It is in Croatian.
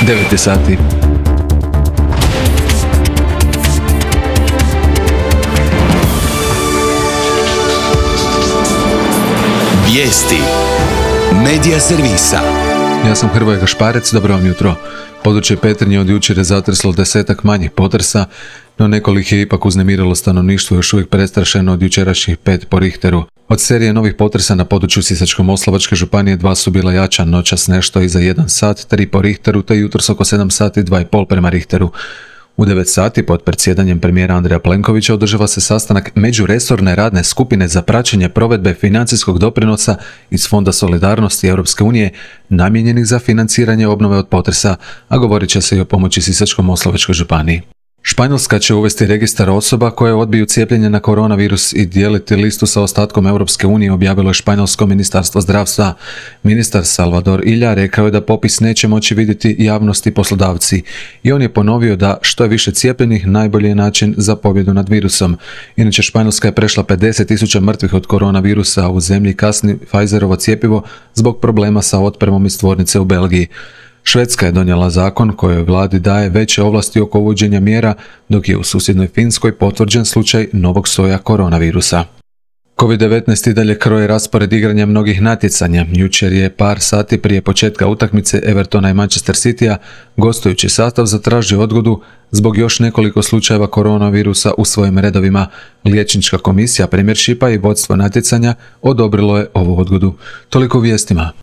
9 sati. Vijesti Medija servisa. Ja sam Hrvoje Gašparec, dobro vam jutro. Područje Petrinje od jučer je zatreslo 10 manjih potresa, no nekoliko je ipak uznemirilo stanovništvo još uvijek prestrašeno od jučerašnjih 5 po Richteru. Od serije novih potresa na području Sisačko-moslavačke županije 2 su bila jača, noćas nešto iza 1 sat, 3 po Richteru, te jutros oko 7 sati 2,5 prema Richteru. U 9 sati pod predsjedanjem premijera Andreja Plenkovića održava se sastanak međuresorne radne skupine za praćenje provedbe financijskog doprinosa iz Fonda solidarnosti Europske unije namijenjenih za financiranje obnove od potresa, a govorit će se i o pomoći Sisačko-moslavačkoj županiji. Španjolska će uvesti registar osoba koje odbiju cijepljenje na koronavirus i dijeliti listu sa ostatkom Europske unije, objavilo je španjolsko ministarstvo zdravstva. Ministar Salvador Illa rekao je da popis neće moći vidjeti javnost i poslodavci i on je ponovio da što je više cijepljenih najbolji je način za pobjedu nad virusom. Inače, Španjolska je prešla 50.000 mrtvih od koronavirusa, a u zemlji kasni Pfizerovo cjepivo zbog problema sa otpremom iz tvornice u Belgiji. Švedska je donijela zakon kojoj vladi daje veće ovlasti oko uvođenja mjera, dok je u susjednoj Finskoj potvrđen slučaj novog soja koronavirusa. COVID-19 i dalje kroje raspored igranja mnogih natjecanja. Jučer je par sati prije početka utakmice Evertona i Manchester Citya gostujući sastav zatražio odgodu zbog još nekoliko slučajeva koronavirusa u svojim redovima. Liječnička komisija Premiershipa i vodstvo natjecanja odobrilo je ovu odgodu. Toliko u vijestima.